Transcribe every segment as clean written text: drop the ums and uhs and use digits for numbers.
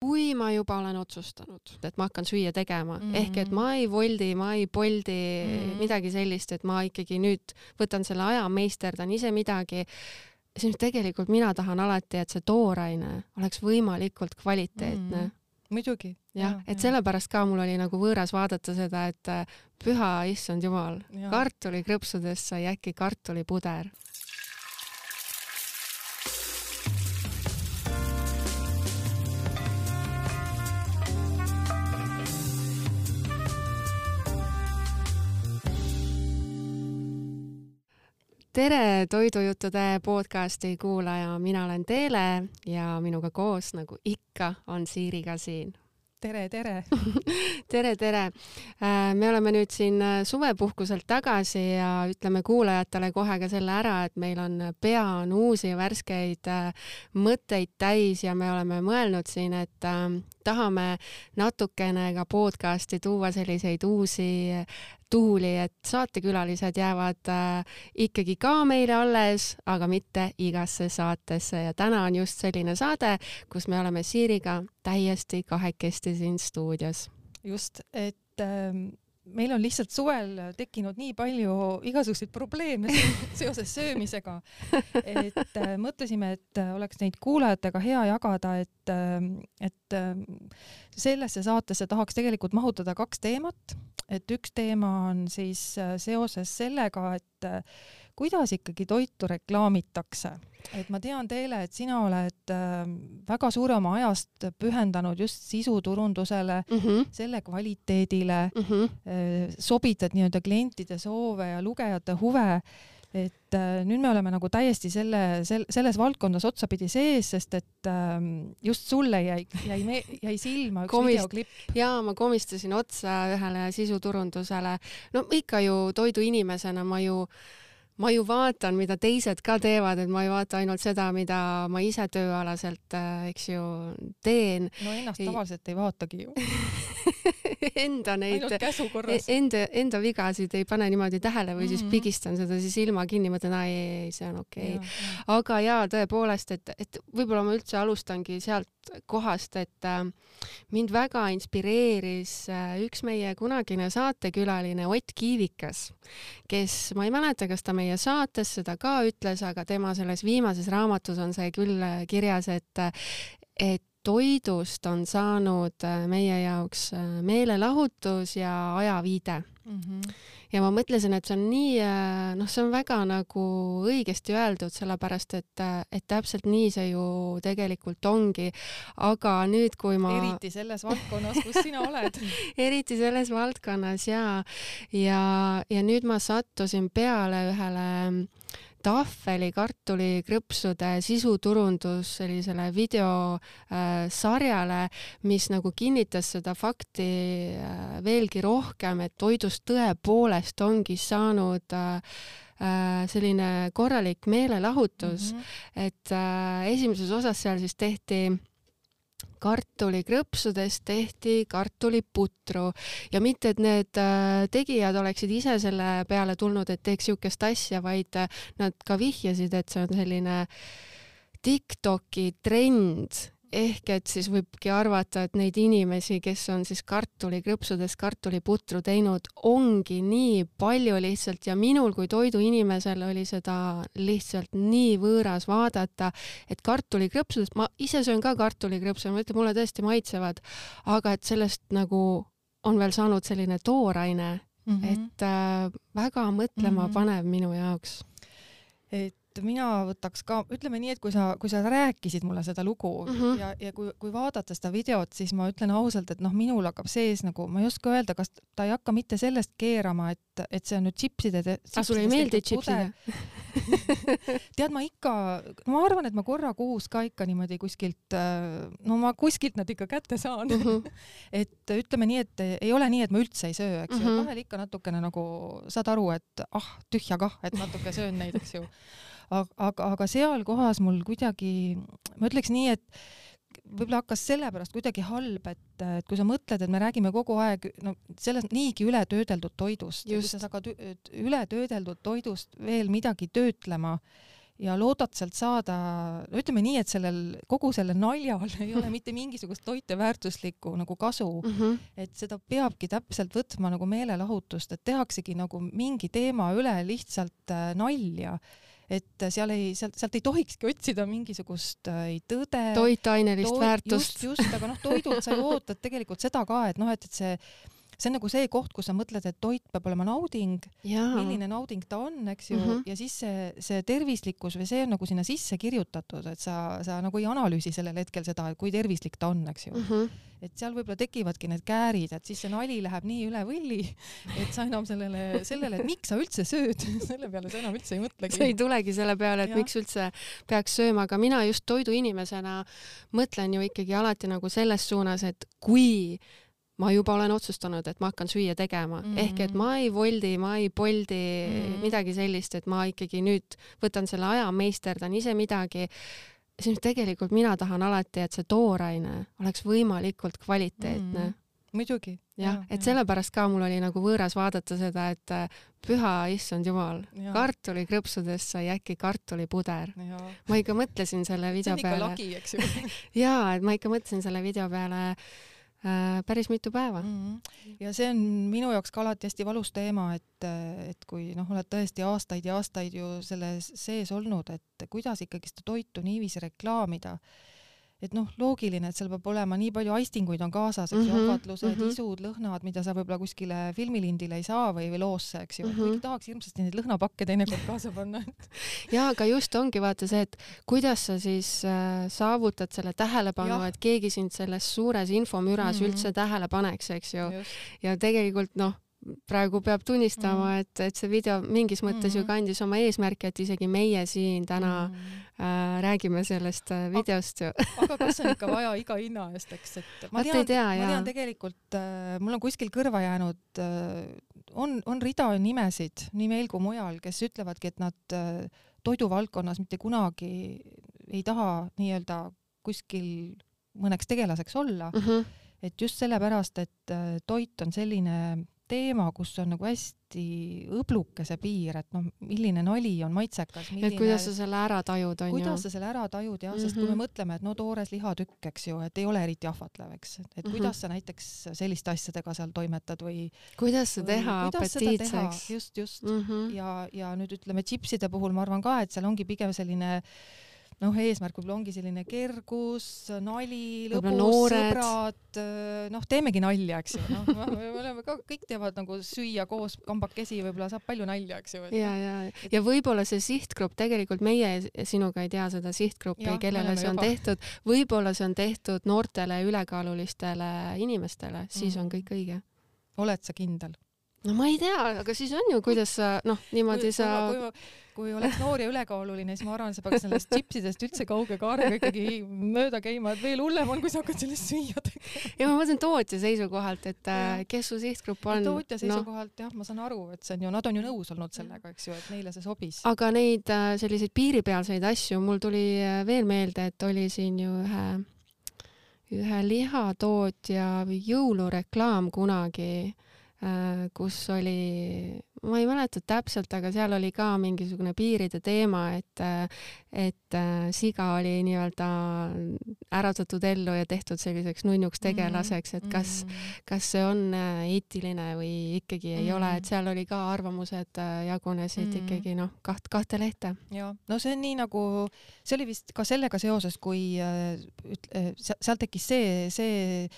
kui ma juba olen otsustanud, et ma hakkan süüa tegema, ehk et ma ei Woldi, ma ei Boldi midagi sellist, et ma ikkagi nüüd võtan selle aja, meisterdan ise midagi, siis tegelikult mina tahan alati, et see tooraine oleks võimalikult kvaliteetne. Muidugi. Jah, et sellepärast ka mul oli nagu võõras vaadata seda, et püha issand jumal, kartulikrõpsudest sai äkki kartulipuder. Tere toidujuttude podcasti kuulaja, mina olen Teele ja minuga koos, nagu ikka, on Siiriga siin. Tere! tere! Me oleme nüüd siin suvepuhkuselt tagasi ja ütleme kuulajatele kohe ka selle ära, et meil on pea on uusi värskeid mõtteid täis ja me oleme mõelnud siin, et tahame natukene ka podcasti tuua selliseid uusi tuuli, et saatekülalised jäävad ikkagi ka meile alles, aga mitte igasse saatesse. Ja täna on just selline saade, kus me oleme Siiriga täiesti kahekesti siin stuudios. Just, et meil on lihtsalt suvel tekkinud nii palju igasuguseid probleeme seoses söömisega, et mõtlesime, et oleks neid kuulajatega hea jagada, et sellesse saatesse tahaks tegelikult mahutada 2 teemat. Et üks teema on siis seoses sellega, et kuidas ikkagi toitu reklaamitakse. Et ma tean Teele, et sina oled väga suure oma ajast pühendanud just sisuturundusele, selle kvaliteedile, sobitad nii-öelda klientide soove ja lugejate huve. Et nüüd me oleme nagu täiesti selles valdkondas otsapidi sees, sest et just sulle jäi silma üks videoklipp. Jaa, ma komistasin otsa ühele sisuturundusele. No ikka ju toidu inimesena ma ju vaatan, mida teised ka teevad, et ma ei vaata ainult seda, mida ma ise tööalaselt, eks ju, teen. No ennast tavaliselt ei vaatagi ju. enda vigasid ei pane niimoodi tähele või siis pigistan seda siis ilma kinni, mõtlen, ei, see on okei. Aga jaa, tõepoolest, et võib-olla ma üldse alustangi sealt kohast, et mind väga inspireeris üks meie kunagine saatekülaline Ott Kiivikas, kes, ma ei mäleta, kas ta meie saates seda ka ütles, aga tema selles viimases raamatus on see küll kirjas, et toidust on saanud meie jaoks meelelahutus ja ajaviide. Ja ma mõtlesin, et see on nii, see on väga nagu õigesti öeldud, sellepärast, et täpselt nii see ju tegelikult ongi. Aga nüüd, kui ma... Eriti selles valdkonnas, kus sina oled. Eriti selles valdkonnas, jaa. Ja nüüd ma sattusin peale ühele tahveli kartulikrõpsude sisuturundus sellisele videosarjale, mis nagu kinnitas seda fakti veelgi rohkem, et toidust tõepoolest ongi saanud selline korralik meelelahutus. Et esimeses osas seal siis tehti kartulikrõpsudest tehti kartuliputru ja mitte, et need tegijad oleksid ise selle peale tulnud, et teeks siukest asja, vaid nad ka vihjasid, et see on selline TikToki trend, ehk et siis võibki arvata, et neid inimesi, kes on siis kartulikrõpsudest kartuliputru teinud, ongi nii palju lihtsalt ja minul kui toiduinimesel oli seda lihtsalt nii võõras vaadata, et kartulikrõpsudest, ma ise söön ka kartulikrõpsu, ma ütlen, mulle tõesti maitsevad, aga et sellest nagu on veel saanud selline tooraine, et väga mõtlema panev minu jaoks. Et mina võtaks ka, ütleme nii, et kui sa rääkisid mulle seda lugu ja kui vaadata seda videot, siis ma ütlen ausalt, et minul hakkab sees nagu, ma ei oska öelda, kas ta ei hakka mitte sellest keerama, et see on nüüd chipside. Sul ei meeldi chipside? Tead, ma arvan, et ma korra kuus ka ikka niimoodi kuskilt, ma kuskilt nad ikka kätte saan. Et ütleme nii, et ei ole nii, et ma üldse ei söö, eks ju. Vahel ikka natukene nagu saad aru, et tühja kah, et natuke söön neid, eks ju. Aga seal kohas mul kuidagi, ma ütleks nii, et võib-olla hakkas sellepärast kuidagi halb, et kui sa mõtled, et me räägime kogu aeg sellest niigi ületöödeldud toidust, kui sa saad ületöödeldud toidust veel midagi töötlema ja loodad sealt saada, no ütleme nii, et kogu sellel naljal ei ole mitte mingisugust toiteväärtuslikku nagu kasu, et seda peabki täpselt võtma nagu meelelahutust, et tehaksegi nagu mingi teema üle lihtsalt nalja, et sealt ei tohikski otsida mingisugust tõde, toitainelist väärtust. Just, aga toidult sa ju ootad tegelikult seda ka, et et see on nagu see koht, kus sa mõtled, et toit peab olema nauding, milline nauding ta on, eks ju, ja siis see tervislikkus või see on nagu sinna sisse kirjutatud, et sa nagu ei analüüsi sellel hetkel seda, kui tervislik ta on, eks ju. Et seal võib-olla tekivadki need käärid, et siis see nali läheb nii üle võlli, et sa enam sellele, et miks sa üldse sööd, selle peale sa enam üldse ei mõtlegi. See ei tulegi selle peale, et miks üldse peaks sööma, aga mina just toiduinimesena mõtlen ju ikkagi alati nagu selles suunas, et kui ma juba olen otsustanud, et ma hakkan süüa tegema. Ehk et ma ei voldi, ma ei poldi midagi sellist, et ma ikkagi nüüd võtan selle aja, meisterdan ise midagi. Siis tegelikult mina tahan alati, et see tooraine oleks võimalikult kvaliteetne. Muidugi. Jah, et sellepärast ka mul oli nagu võõras vaadata seda, et püha issand jumal, kartulikrõpsudest sai äkki kartulipuder. Ma ikka mõtlesin selle video peale. See on ikka lagi, eks ju. Jaa, et ma ikka mõtlesin selle video peale päris mitu päeva. Ja see on minu jaoks ka alati hästi valus teema, et kui oled tõesti aastaid ja aastaid ju selles sees olnud, et kuidas ikkagi seda toitu niiviisi reklaamida, et loogiline, et seal peab olema nii palju aistinguid on kaasas, eks ju, ahvatlused, isud, lõhnad, mida sa võib-olla kuskile filmilindile ei saa või loosse, eks ju, kuigi tahaks hirmsasti neid lõhnapakke teinekord kaasa panna. Ja, aga just ongi vaata see, et kuidas sa siis saavutad selle tähelepanu, et keegi sind selles suures infomüras üldse tähele paneks, eks ju. Ja tegelikult praegu peab tunnistama, et see video mingis mõttes ju kandis oma eesmärki, et isegi meie siin täna räägime sellest videost ju. Aga kas on ikka vaja iga hinna eest, eks? Ma tean tegelikult, mul on kuskil kõrva jäänud, on rida nimesid nii meil kui mujal, kes ütlevadki, et nad toiduvaldkonnas mitte kunagi ei taha nii-öelda kuskil mõneks tegelaseks olla. Et just sellepärast, et toit on selline teema, kus on nagu hästi õbluke see piir, et milline nali on maitsekas. Et kuidas sa selle ära tajud, on ju? Kuidas sa selle ära tajud, jah, sest kui me mõtleme, et toores lihatükk, eks ju, et ei ole eriti ahvatlev, eks. Et kuidas sa näiteks selliste asjadega seal toimetad või... Kuidas sa teha apetiitseks? Just. Ja nüüd ütleme chipside puhul ma arvan ka, et seal ongi pigem selline eesmärk võib-olla ongi selline kergus, nali, lõbus, sõbrad, teemegi nalja, eks ju. Me oleme ka, kõik teevad nagu süüa koos kambakesi, võib-olla saab palju nalja, eks ju. Ja võib-olla see sihtgrupp, tegelikult meie sinuga ei tea seda sihtgruppi, kellele see on tehtud, võib-olla see on tehtud noortele ülekaalulistele inimestele, siis on kõik õige. Oled sa kindel? No ma ei tea, aga siis on ju, kuidas sa, niimoodi kui oleks noor ja ülekaaluline, siis ma arvan, sa peaks sellest chipsidest üldse kauge kaarega ikkagi mööda käima, et veel hullem on, kui sa hakkad sellest süüa tegema. Ja ma mõtlen tootja seisukohalt, et kes su sihtgrupp on. Tootja seisukohalt, jah, ma saan aru, et nad on ju nõus olnud sellega, eks ju, et neile see sobis. Aga neid selliseid piiripealseid asju, mul tuli veel meelde, et oli siin ju ühe lihatootja jõulureklaam kunagi, kus oli, ma ei mäleta täpselt, aga seal oli ka mingisugune piiride teema, et siga oli nii-öelda äratatud ellu ja tehtud selliseks nunnuks tegelaseks, et kas see on eetiline või ikkagi ei ole, et seal oli ka arvamused jagunesid ikkagi kahte lehte. Ja, see on nii nagu, see oli vist ka sellega seoses, kui seal tekkis see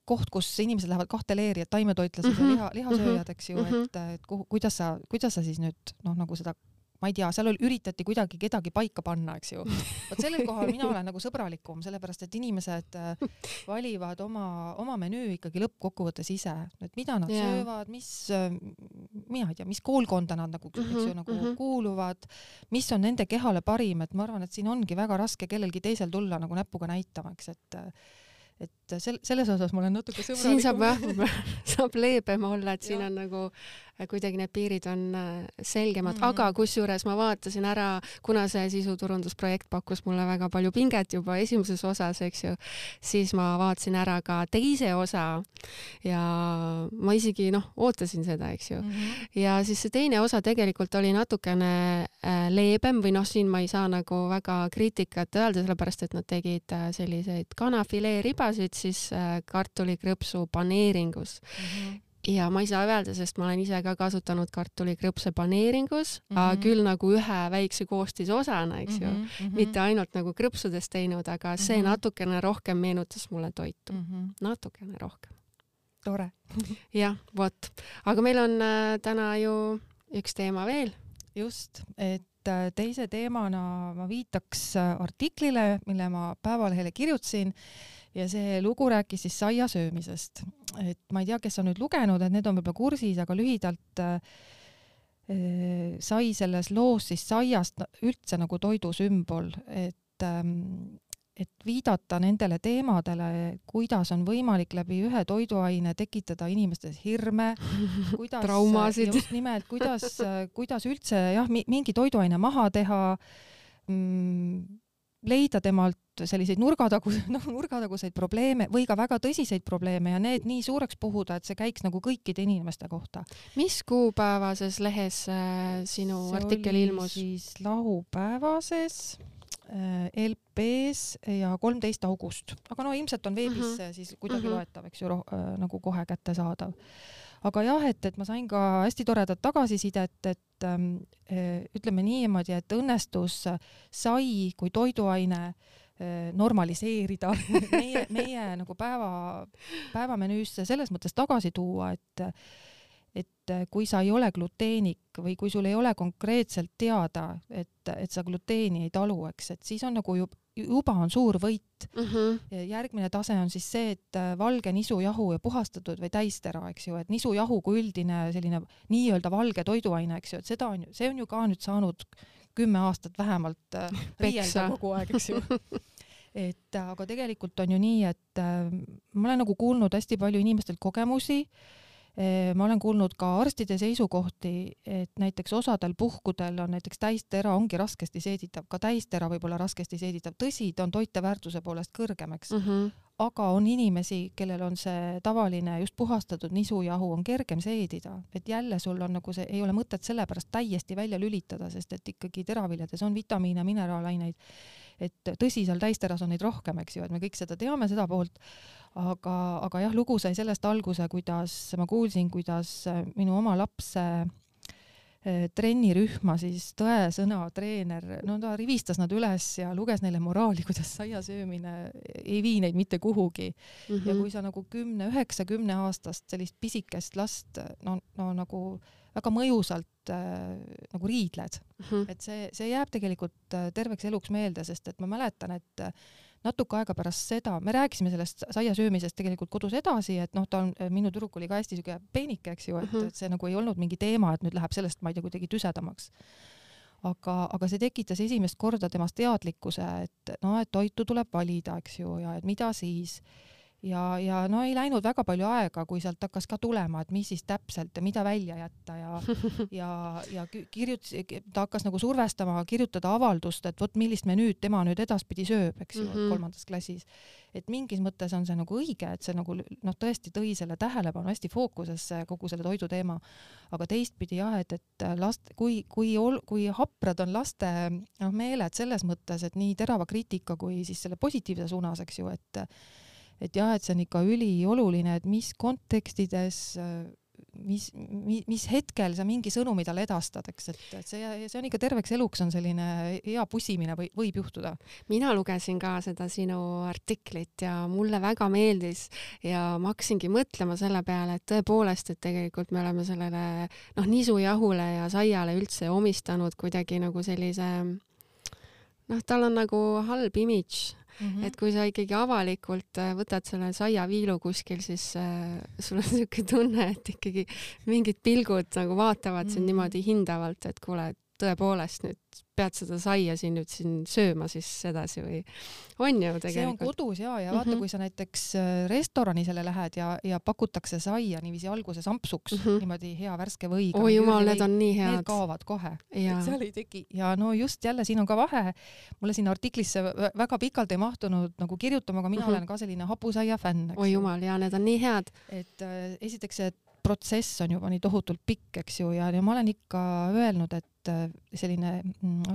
koht, kus inimesed lähevad kahte leeri, et taimetoitlased ja lihasööjad, eks ju, et kuidas sa siis nüüd, nagu seda, ma ei tea, seal üritati kuidagi kedagi paika panna, eks ju. Vaat sellel kohal mina olen nagu sõbralikum, sellepärast, et inimesed valivad oma menüü ikkagi lõppkokkuvõttes ise, et mida nad söövad, mina ei tea, mis koolkonda nad nagu kuuluvad, mis on nende kehale parim, et ma arvan, et siin ongi väga raske kellelgi teisel tulla nagu näpuga näitama, eks, et selles osas ma olen natuke sõbralikum. Siin saab leebem olla, et siin on nagu kuidagi need piirid on selgemad, aga kusjuures ma vaatasin ära, kuna see sisuturundusprojekt pakkus mulle väga palju pinget juba esimeses osas, eks ju, siis ma vaatasin ära ka teise osa ja ma isegi ootasin seda, eks ju. Ja siis see teine osa tegelikult oli natukene leebem või siin ma ei saa nagu väga kriitikat öelda, sellepärast et nad tegid selliseid kanafileeribasid siis kartulikrõpsu paneeringus. Ja ma ei saa öelda, sest ma olen ise ka kasutanud kartulikrõpse paneeringus, küll nagu ühe väikse koostisosana, eks ju, mitte ainult nagu krõpsudest teinud, aga see natukene rohkem meenutas mulle toitu. Natukene rohkem. Tore. Jah, vot. Aga meil on täna ju üks teema veel. Just, et teise teemana ma viitaks artiklile, mille ma Päevalehele kirjutasin, ja see lugu rääkis siis saia söömisest. Et ma ei tea, kes on nüüd lugenud, et need on võib-olla kursis, aga lühidalt sai selles loos siis saiast üldse nagu toidusümbol, et viidata nendele teemadele, kuidas on võimalik läbi ühe toiduaine tekitada inimestes hirme, kuidas, traumasid. Just nimelt, kuidas üldse mingi toiduaine maha teha, leida temalt selliseid nurgataguseid probleeme või ka väga tõsiseid probleeme ja need nii suureks puhuda, et see käiks nagu kõikide inimeste kohta. Mis kuupäevases lehes sinu artikkel ilmus? See oli siis laupäevases, LP-s ja 13. august. Aga ilmselt on veebis siis kuidagi loetav, eks ju, nagu kohe kätte saadav. Aga jah, et ma sain ka hästi toredat tagasisidet, et ütleme niimoodi, et õnnestus sai kui toiduaine normaliseerida meie nagu päevamenüüsse selles mõttes tagasi tuua, et kui sa ei ole gluteenik või kui sul ei ole konkreetselt teada, et sa gluteeni ei talu, eks, et siis on nagu juba on suur võit. Järgmine tase on siis see, et valge nisujahu ja puhastatud või täistera, eks ju, et nisujahu kui üldine selline nii-öelda valge toiduaine, eks ju, et see on ju ka nüüd saanud 10 aastat vähemalt riielda kogu aeg, eks ju. Et aga tegelikult on ju nii, et ma olen nagu kuulnud hästi palju inimestelt kogemusi. Ma olen kuulnud ka arstide seisukohti, et näiteks osadel puhkudel on näiteks täistera ongi raskesti seeditav, ka täistera võib-olla raskesti seeditav. Tõsi, ta on toiteväärtuse poolest kõrgemaks, aga on inimesi, kellel on see tavaline just puhastatud nisujahu on kergem seedida, et jälle sul on nagu see, ei ole mõtet sellepärast täiesti välja lülitada, sest et ikkagi teraviljades on vitamiine, mineraalaineid, et tõsi, seal täisteras on neid rohkem, eks ju, et me kõik seda teame, seda poolt, aga jah, lugu sai sellest alguse, kuidas ma kuulsin, kuidas minu oma lapse trennirühma siis tõesõna treener, ta rivistas nad üles ja luges neile moraali, kuidas saia söömine ei vii neid mitte kuhugi. Ja kui sa nagu 9-10 aastast sellist pisikest last nagu väga mõjusalt nagu riidled, et see jääb tegelikult terveks eluks meelde, sest et ma mäletan, et natuke aega pärast seda, me rääkisime sellest saia söömisest tegelikult kodus edasi, et minu tüdruk oli ka hästi süge peenike, eks ju, et see nagu ei olnud mingi teema, et nüüd läheb sellest, ma ei tea, kuidagi tüsedamaks. Aga see tekitas esimest korda temast teadlikkuse, et toitu tuleb valida, eks ju, ja et mida siis. Ja ei läinud väga palju aega, kui sealt hakkas ka tulema, et mis siis täpselt ja mida välja jätta ja ta hakkas nagu survestama, kirjutada avaldust, et vot millist menüüd tema nüüd edaspidi sööb, eks ju, 3. klassis. Et mingis mõttes on see nagu õige, et see nagu tõesti tõi selle tähelepanu hästi fookusesse kogu selle toidu teema. Aga teistpidi jah, et kui haprad on laste meeled selles mõttes, et nii terava kriitika kui siis selle positiivse suunas, eks ju, et jah, et see on ikka ülioluline, et mis kontekstides, mis hetkel sa mingi sõnumi talle edastad, eks, et see on ikka terveks eluks on selline hea pussimine võib juhtuda. Mina lugesin ka seda sinu artiklit ja mulle väga meeldis ja ma hakkasingi mõtlema selle peale, et tõepoolest, et tegelikult me oleme sellele nisujahule ja saiale üldse omistanud kuidagi nagu sellise tal on nagu halb imidž. Et kui sa ikkagi avalikult võtad selle saiaviilu kuskil, siis sul on niisugune tunne, et ikkagi mingid pilgud nagu vaatavad sind niimoodi hindavalt, et kuule, tõepoolest nüüd pead seda saia siin sööma siis edasi või on ju tegelikult. See on kodus ja vaata, kui sa näiteks restorani selle lähed ja pakutakse saia niiviisi alguses ampsuks, niimoodi hea värske võiga. Oi jumal, need on nii head. Need kaovad kohe. Seal ei teki. Ja no just jälle siin on ka vahe. Mulle siin artiklisse väga pikalt ei mahtunud nagu kirjutama, aga mina olen ka selline hapusaia fänn. Oi jumal, ja need on nii head. Et esiteks see protsess on juba nii tohutult pikk, eks ju, ja ma olen ikka öelnud, et selline,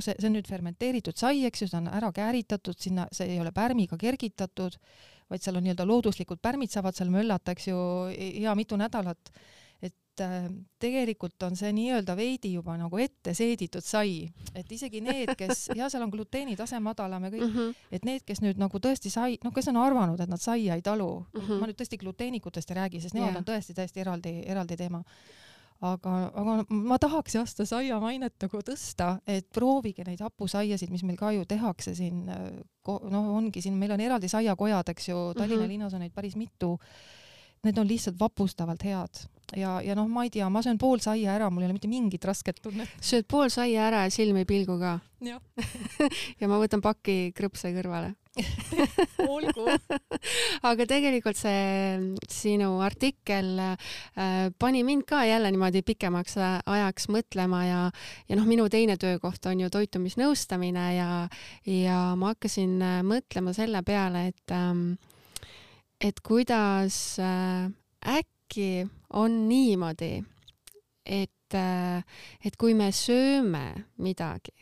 see on nüüd fermenteeritud sai, eks ju, see on ära kääritatud, sinna see ei ole pärmiga kergitatud, vaid seal on nii-öelda looduslikud pärmid saavad seal möllata, eks ju, hea mitu nädalat. Et tegelikult on see nii-öelda veidi juba nagu ette seeditud sai, et isegi need, kes, ja seal on gluteeni tase madalam ja kõik, et need, kes nüüd nagu tõesti sai, kes on arvanud, et nad saia ei talu, ma nüüd tõesti gluteenikutest ei räägi, sest nemad on tõesti eraldi teema. Aga ma tahaks jah seda saia mainet nagu tõsta, et proovige neid hapusaiasid, mis meil ka ju tehakse siin, ongi siin, meil on eraldi saiakojad, eks ju, Tallinna linnas on neid päris mitu. Need on lihtsalt vapustavalt head. Ja ma ei tea, ma söön pool saia ära, mul ei ole mitte mingit rasket tunnet. Sööd pool saia ära ja silmi pilgu ka. Ja. Ja ma võtan paki krõpse kõrvale. Olgu. Aga tegelikult see sinu artikkel pani mind ka jälle niimoodi pikemaks ajaks mõtlema ja minu teine töökoht on ju toitumisnõustamine ja ma hakkasin mõtlema selle peale, et kuidas äkki on niimoodi, et kui me sööme midagi,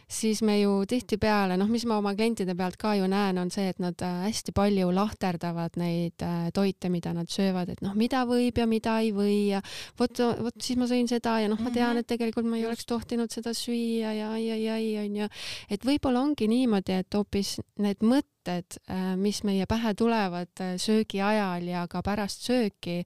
siis me ju tihtipeale, mis ma oma klientide pealt ka ju näen, on see, et nad hästi palju lahterdavad neid toite, mida nad söövad, et mida võib ja mida ei või ja vot siis ma sõin seda ja ma tean, et tegelikult ma ei oleks tohtinud seda süüa ja et võib-olla ongi niimoodi, et hoopis need mõtted, mis meie pähe tulevad söögi ajal ja ka pärast sööki,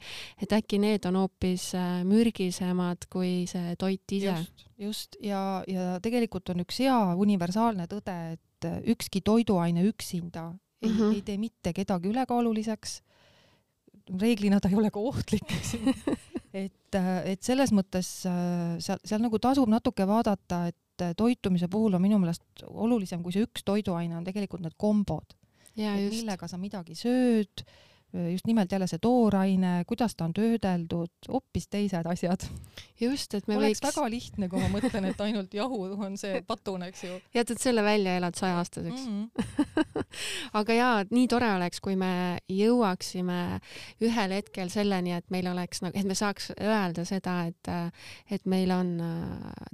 et äkki need on hoopis mürgisemad kui see toit ise. Just. Ja tegelikult on üks hea universaalne tõde, et ükski toiduaine üksinda ei tee mitte kedagi ülekaaluliseks. Reeglina ta ei ole ka ohtlik. Et selles mõttes seal nagu tasub natuke vaadata, et toitumise puhul on minu meelest olulisem, kui see üks toiduaine on tegelikult need kombod. Millega sa midagi sööd, just nimelt jälle see tooraine, kuidas ta on töödeldud, hoopis teised asjad. Just, et me oleks väga lihtne, kui ma mõtlen, et ainult jahu on see patun, eks ju. Jätad selle välja, elad 100-aastaseks. Aga jaa, nii tore oleks, kui me jõuaksime ühel hetkel selleni, et meil oleks, et me saaks öelda seda, et meil on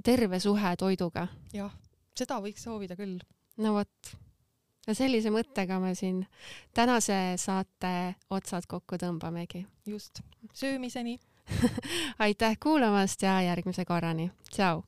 terve suhe toiduga. Jah, seda võiks soovida küll. No vot. Ja sellise mõttega me siin tänase saate otsad kokku tõmbamegi. Just. Söömiseni. Aitäh kuulamast ja järgmise korrani. Tšau!